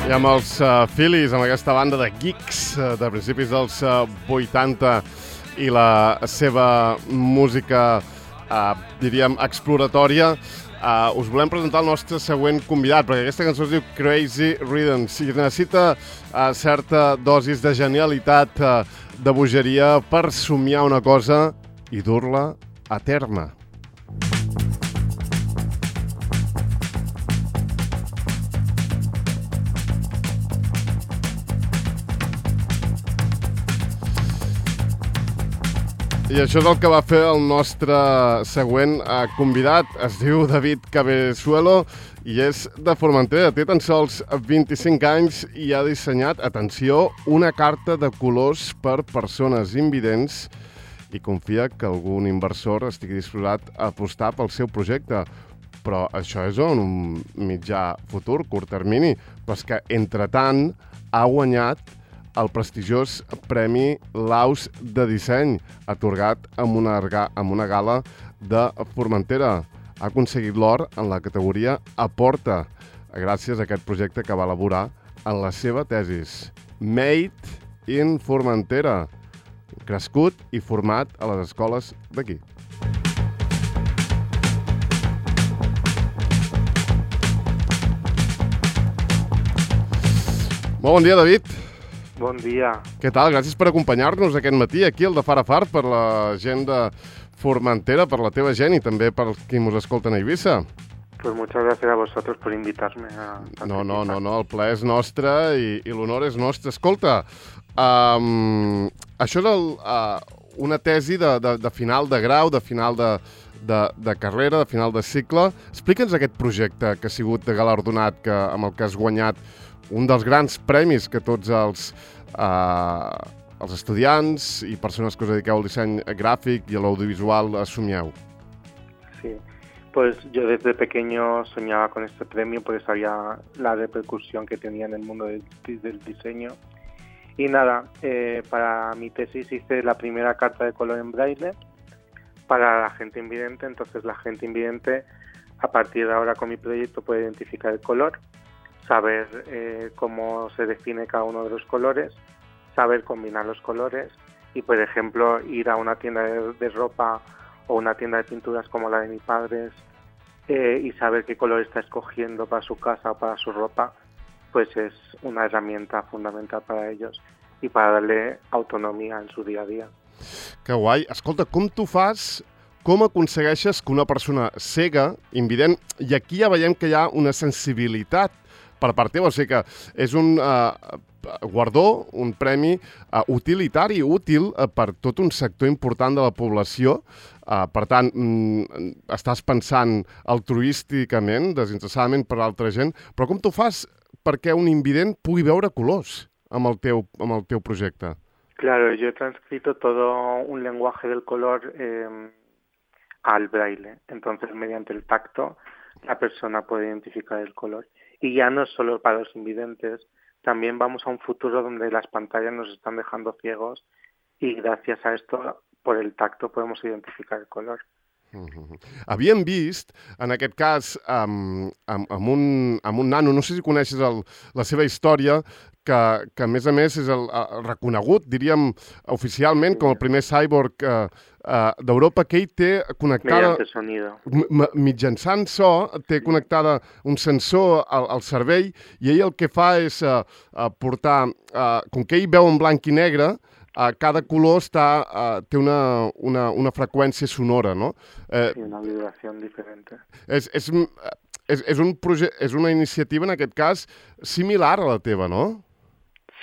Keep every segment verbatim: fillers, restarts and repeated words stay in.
I amb els uh, Phillies, amb aquesta banda de geeks uh, de principis dels uh, vuitanta i la seva música, uh, diríem, exploratòria, uh, us volem presentar el nostre següent convidat, perquè aquesta cançó es diu Crazy Rhythms i necessita uh, certa dosis de genialitat, uh, de bogeria per somiar una cosa i dur-la a terme. I això és el que va fer el nostre següent eh, convidat. Es diu David Cabezuelo i és de Formentera. Té tan sols vint-i-cinc anys i ha dissenyat, atenció, una carta de colors per persones invidents i confia que algun inversor estigui disposat a apostar pel seu projecte. Però això és en un mitjà futur, curt termini. Però és que, entretant, ha guanyat el prestigiós Premi Laus de Disseny, atorgat amb una, amb una gala de Formentera. Ha aconseguit l'or en la categoria Aporta, gràcies a aquest projecte que va elaborar en la seva tesis. Made in Formentera, crescut i format a les escoles d'aquí. Molt bon dia, David. Bon dia. Què tal? Gràcies per acompanyar-nos aquest matí aquí, al de Far a Far, per la gent de Formentera, per la teva gent i també per qui mos escolten a Eivissa. Pues muchas gracias a vosotros por invitarme a... No, no, no, no, el plaer és nostre i, i l'honor és nostre. Escolta, um, això és el, uh, una tesi de, de, de final de grau, de final de, de, de carrera, de final de cicle. Explica'ns aquest projecte que ha sigut galardonat, que, amb el que has guanyat un dels grans premis que tots els, eh, els estudiants i persones que us dediqueu al disseny gràfic i a l'audiovisual assumieu. Sí, pues yo desde pequeño soñaba con este premio porque sabía la repercusión que tenía en el mundo del, del diseño. Y nada, eh, para mi tesis hice la primera carta de color en braille para la gente invidente. Entonces la gente invidente, a partir de ahora con mi proyecto, puede identificar el color, saber eh, cómo se define cada uno de los colores, saber combinar los colores y, por ejemplo, ir a una tienda de, de ropa o una tienda de pinturas como la de mis padres eh, y saber qué color está escogiendo para su casa o para su ropa, pues es una herramienta fundamental para ellos y para darle autonomia en su dia a dia. Que guai. Escolta, com tu fas, com aconsegueixes que una persona cega, invident, i aquí ja veiem que hi ha una sensibilitat per part teva, o sigui que és un uh, guardó, un premi uh, utilitari, útil uh, per tot un sector important de la població. Uh, per tant, mm, estàs pensant altruísticament, desinteressadament per l'altra gent, però com tu fas perquè un invident pugui veure colors amb el teu, amb el teu projecte? Claro, yo he transcrito todo un lenguaje del color eh, al braille. Entonces, mediante el tacto, la persona puede identificar el color. Y ya no es solo para los invidentes, también vamos a un futuro donde las pantallas nos están dejando ciegos y gracias a esto, por el tacto, podemos identificar el color. Uh-huh. Havíem vist, en aquest cas, amb, amb, amb, un, amb un nano, no sé si coneixes el, la seva història, que, que a més a més és el, el reconegut, diríem, oficialment, com el primer cyborg eh, eh, d'Europa, que ell té connectada... Mediante sonido. Mitjançant so, té connectada un sensor al, al cervell, i ell el que fa és eh, portar... Eh, com que ell veu en blanc i negre, Uh, cada color està, uh, té una, una, una freqüència sonora, no? Eh, sí, una vibració diferent. És, és, és, és, un proje- és una iniciativa, en aquest cas, similar a la teva, no?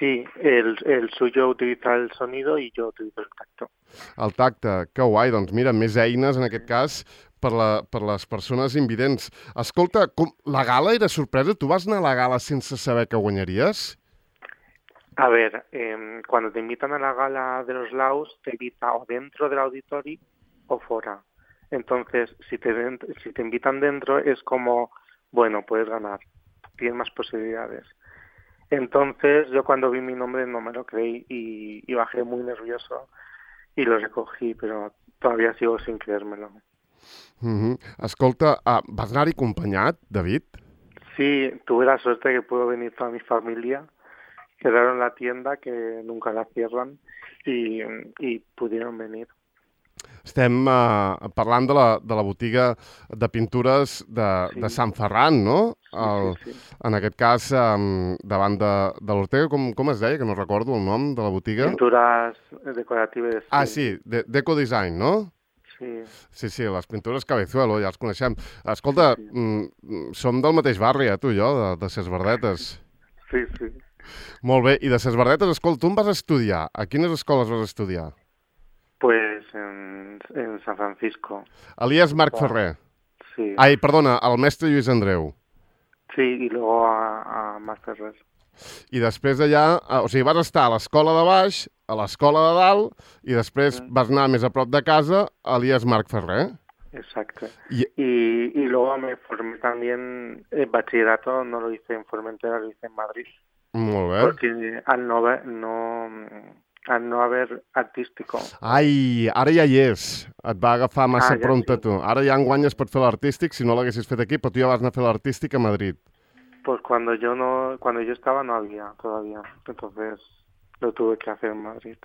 Sí, el, el suyo utiliza el sonido y yo utilizo el tacto. El tacte, que guai. Doncs mira, més eines, en aquest cas, per, la, per les persones invidents. Escolta, com, la gala era sorpresa? Tu vas anar a la gala sense saber que guanyaries? A ver, eh, cuando te invitan a la gala de los Laus, te invita o dentro del auditorio o fuera. Entonces, si te, si te invitan dentro, es como, bueno, puedes ganar, tienes más posibilidades. Entonces, yo cuando vi mi nombre no me lo creí y, y bajé muy nervioso y lo recogí, pero todavía sigo sin creérmelo. Mm-hmm. Escolta, uh, vas anar-hi acompanyat, David? Sí, tuve la suerte que pudo venir toda mi familia, quedaron en la tienda, que nunca la cierran, y, y pudieron venir. Estem uh, parlant de la, de la botiga de pintures de, Sí, de Sant Ferran, no? sí, sí, El, sí. en aquest cas, um, davant de, de l'Ortega, com, com es deia? Que no recordo el nom de la botiga. Pinturas decorativas, Ah, sí, sí, de, Deco Design, no? sí, Sí, sí, les pintures Cabezuelo, ja els coneixem. sí, Escolta, sí, mm, som del mateix barri, eh, tu i jo, de, de Ses Verdetes. sí, sí. Molt bé, i de Ses Verdetes, escolta, tu em vas estudiar. A quines escoles vas estudiar? Pues en, en San Francisco. Elias Marc Wow. Ferrer. Sí, Ai, perdona, el mestre Lluís Andreu. sí, y luego a, a Masterres. I després d'allà, eh, o sigui, vas estar a l'escola de baix, a l'escola de dalt, i després Mm, vas anar més a prop de casa a Elias Marc Ferrer. exacto. I, Y, y luego me formé también, el bachillerato no lo hice en Formentera, lo hice en Madrid. molt bé. Porque al no haber, no, al no haber artístico. Ai, ara ja hi és. Et va agafar massa Ah, ja pront a sí. tu. Ara ja enguany es pot fer l'artístic, si no l'haguessis fet aquí, però tu ja vas anar a fer l'artístic a Madrid. Pues cuando yo no, cuando yo estaba no había todavía, entonces lo tuve que hacer en Madrid.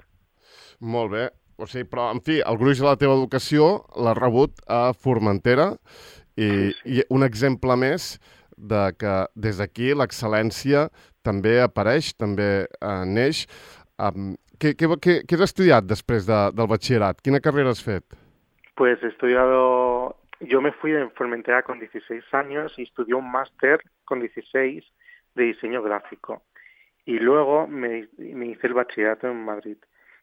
Molt bé. O sigui, però, en fi, el gruix de la teva educació l'has rebut a Formentera i, Sí, sí. i un exemple més de que des d'aquí l'excel·lència també apareix, també eh, neix. Um, què, què, què, què has estudiat després de, del batxillerat? Quina carrera has fet? Pues he estudiado, yo me fui de Formentera con dieciséis años y estudié un máster con dieciséis de diseño gráfico. Y luego me, me hice el bachillerato en Madrid.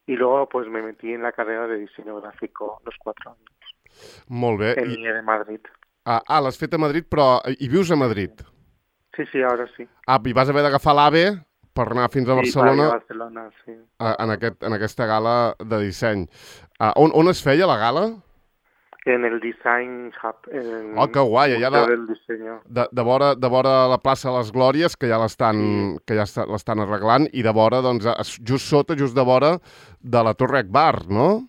Y luego pues me metí en la carrera de diseño gráfico los cuatro años, Molt bé. en I, I E de Madrid. ah, ah l'has fet a Madrid, però hi vius a Madrid? Sí, sí, ahora sí. Ah, i vas haver d'agafar l'AVE per anar fins a Sí, para ir Barcelona a Barcelona, sí. a, en, aquest, en aquesta gala de disseny. Ah, on, on es feia la gala? En el Design Hub, en Oh, que guai, el allà Museo de, del Diseño. de, de, vora, de vora la plaça de les Glòries, que ja l'estan Sí. que ja està- l'estan arreglant, i de vora, doncs, es- just sota, just de vora de la Torre Akbar, no?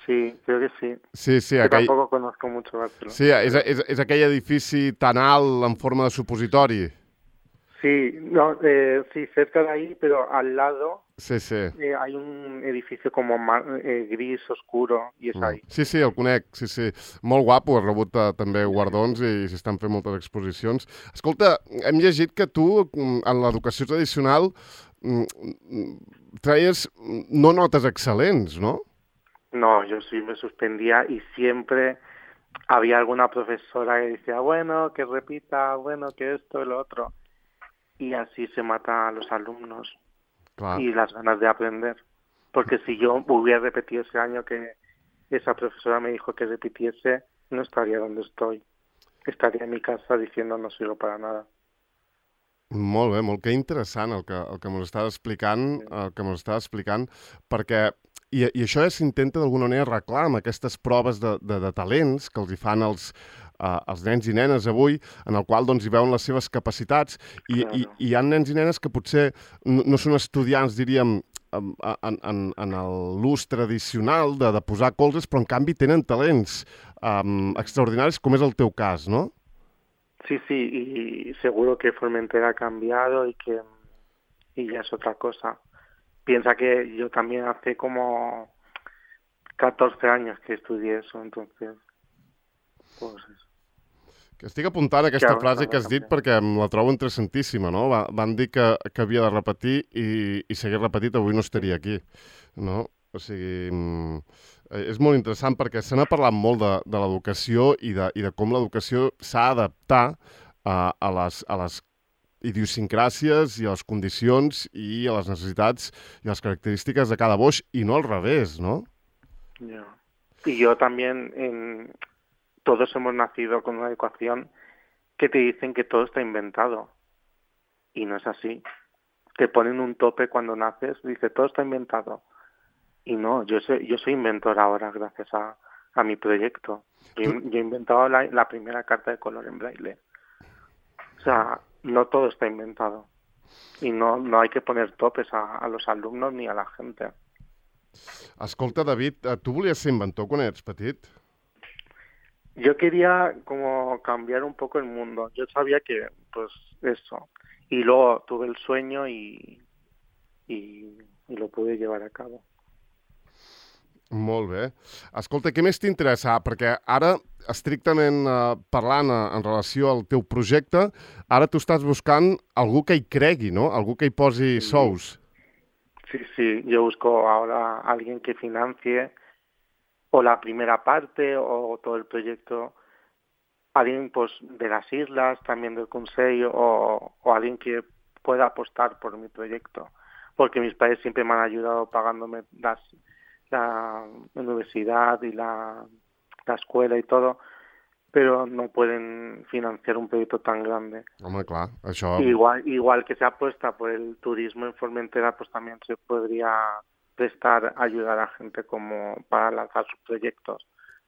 Sí, creo que sí. Sí, sí, Que aquell, tampoco conozco mucho Barcelona. sí és, és, és aquell edifici tan alt en forma de supositori. Sí, no, eh, sí, cerca de ahí, pero al lado Sí, sí. eh, hay un edificio como ma- eh, gris oscuro y es ahí. Sí, sí, el conec, sí, sí. Molt guapo, ha rebut eh, també guardons i s'estan fent moltes exposicions. Escolta, hem llegit que tu, mm, en l'educació tradicional, mm, mm, traies no notes excel·lents, no? No, yo sí me suspendía y siempre había alguna profesora que decía, bueno, que repita, bueno, que esto y lo otro. Y así se mata a los alumnos Clar. y las ganas de aprender. Porque si yo hubiera repetido ese año que esa profesora me dijo que repitiese, no estaría donde estoy. Estaría en mi casa diciendo no sirvo para nada. Molt bé, molt que interessant el que, el que m'ho estàs explicant, el que m'ho estàs explicant, perquè i, i això ja s'intenta d'alguna manera arreglar amb aquestes proves de, de, de talents que els hi fan els, uh, els nens i nenes avui, en el qual doncs, hi veuen les seves capacitats, i, Claro. i, i hi ha nens i nenes que potser no, no són estudiants, diríem, en, en, en, en l'ús tradicional de, de posar colzes, però en canvi tenen talents um, extraordinaris, com és el teu cas, no? Sí, sí, y seguro que Formentera ha cambiado y que y ya es otra cosa. Piensa que yo también hace como catorce años que estudié eso, entonces, pues eso. Que estic apuntant aquesta Que ara frase s'ha que de has dit canviar. perquè em la trobo interessantíssima, no? Va, van dir que, que havia de repetir i, i si hagués repetit avui no estaria aquí, no? O sigui, mm, eh, és molt interessant perquè se n'ha parlat molt de, de l'educació i, de, i de com l'educació s'ha d'adaptar a, a, les, a les idiosincràsies i a les condicions i a les necessitats i a les característiques de cada boix i no al revés, no? Ya. Y yo también, en, todos hemos nacido con una educación que te dicen que todo está inventado. Y no es así. Te ponen un tope cuando naces, dice todo está inventado. Y no, yo soy, yo soy inventor ahora gracias a, a mi proyecto. Yo, Tú- yo he inventado la, la primera carta de color en braille. O sea, no todo está inventado. Y no, no hay que poner topes a, a los alumnos ni a la gente. Escolta, David, eh, tu volies ser inventor quan eres petit? Yo quería como cambiar un poco el mundo. Yo sabía que, pues, eso. Y luego tuve el sueño y, y, y lo pude llevar a cabo. Molt bé. Escolta, què més t'interessa? Perquè ara, estrictament eh, parlant eh, en relació al teu projecte, ara tu estàs buscant algú que hi cregui, no? Algú que hi posi Sí, sous. sí, sí. Yo busco ahora a alguien que financie o la primera parte o todo el proyecto. Alguien pues de las islas, también del Consejo, o, o alguien que pueda apostar por mi proyecto. Porque mis padres siempre me han ayudado pagándome las, la universidad y la, la escuela y todo, pero no pueden financiar un proyecto tan grande. Home, clar, això... Igual, igual que se apuesta por el turismo en Formentera, pues también se podría prestar ayudar a gente como para lanzar sus proyectos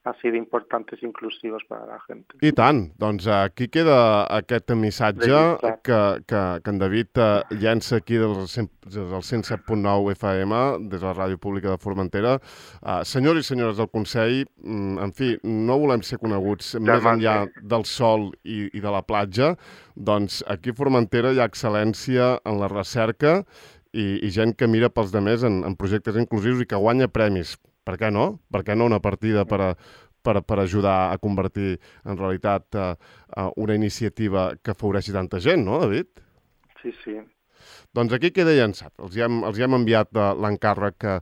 así de importantes i inclusivos per a la gent. I tant. Doncs aquí queda aquest missatge Registrat. que, que, que en David eh, llença aquí del, cent, del cent set punt nou F M, des de la Ràdio Pública de Formentera. Uh, senyors i senyores del Consell, mm, en fi, no volem ser coneguts més enllà del sol i, i de la platja, doncs aquí a Formentera hi ha excel·lència en la recerca i, i gent que mira pels demés en, en projectes inclusius i que guanya premis. Per què no? Per què no una partida per, a, per, per ajudar a convertir en realitat uh, uh, una iniciativa que afavoreixi tanta gent, no, David? Sí, sí. Doncs aquí queda llançat. Els hi hem, els hi hem enviat uh, l'encàrrec uh,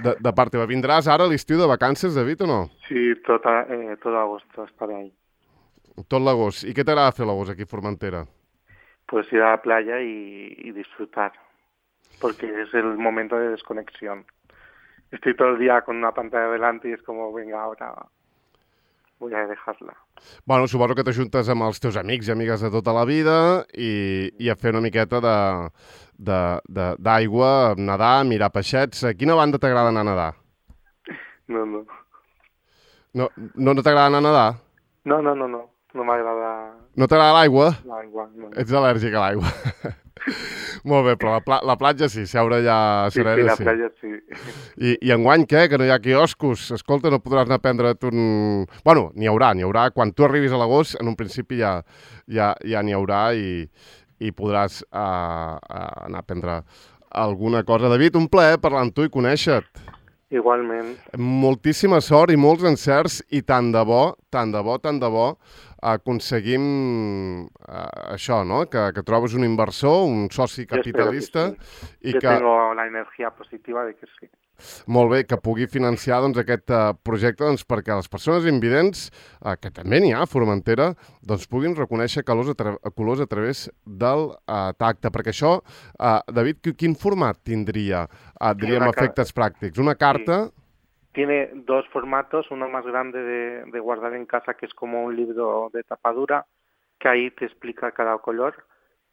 de, de part teva. Vindràs ara a l'estiu de vacances, David, o no? Sí, tot, eh, tot agosto estaré ahí. Tot l'agost. I què t'agrada fer l'agost aquí a Formentera? Pues ir a la playa y, y disfrutar, porque es el momento de desconexión. Estoy todo el día con una pantalla delante y es como, venga, ahora voy a dejarla. Bueno, suposo que t'ajuntes amb els teus amics i amigues de tota la vida i, i a fer una miqueta de, de, de, d'aigua, nedar, mirar peixets. A quina banda t'agrada anar a nedar? No, no. No, no, no t'agrada anar a nedar? No, no, no, no. No m'agrada No t'agrada l'aigua? l'aigua. No. Ets al·lèrgic a l'aigua. Molt bé, però la, pla la platja sí, seure allà a Sí, sí, serena la sí. playa sí. I, I enguany què? Que no hi ha quioscos. Escolta, no podràs anar a prendre't un... Bueno, n'hi haurà, n'hi haurà. Quan tu arribis a l'agost, en un principi ja ja ja n'hi haurà i, i podràs uh, uh, anar a prendre alguna cosa. David, un plaer parlar amb tu i conèixer-te. Igualment. Moltíssima sort i molts encerts i tant de bo, tant de bo, tant de bo aconseguim uh, això, no? Que, que trobes un inversor, un soci capitalista sí. i Yo que... tengo la energía positiva de que sí. Molt bé, que pugui financiar doncs, aquest uh, projecte doncs, perquè les persones invidents, uh, que també n'hi ha a Formentera, doncs, puguin reconèixer colors a, tra colors a través del uh, tacte. Perquè això, uh, David, quin format tindria, uh, diríem, efectes pràctics? Una carta... Sí. Tiene dos formatos, uno más grande de, de guardar en casa, que es como un libro de tapadura, que ahí te explica cada color,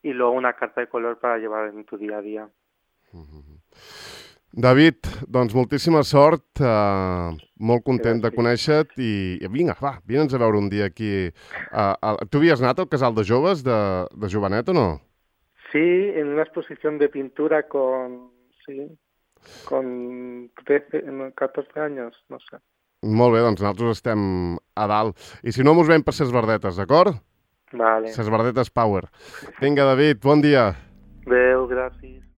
y luego una carta de color para llevar en tu día a día. Mm-hmm. David, doncs moltíssima sort, uh, molt content de conèixer-te i, i vinga, va, vine'ns a veure un dia aquí. Uh, uh, tu havies anat al casal de joves de, de Jovenet o no? Sí, en una exposición de pintura con, sí, con trece, catorze años, no sé. Molt bé, doncs nosaltres estem a dalt. I si no, mos veiem per ses verdetes, d'acord? Vale. Ses verdetes Power. Vinga, David, bon dia. Adéu, gràcies.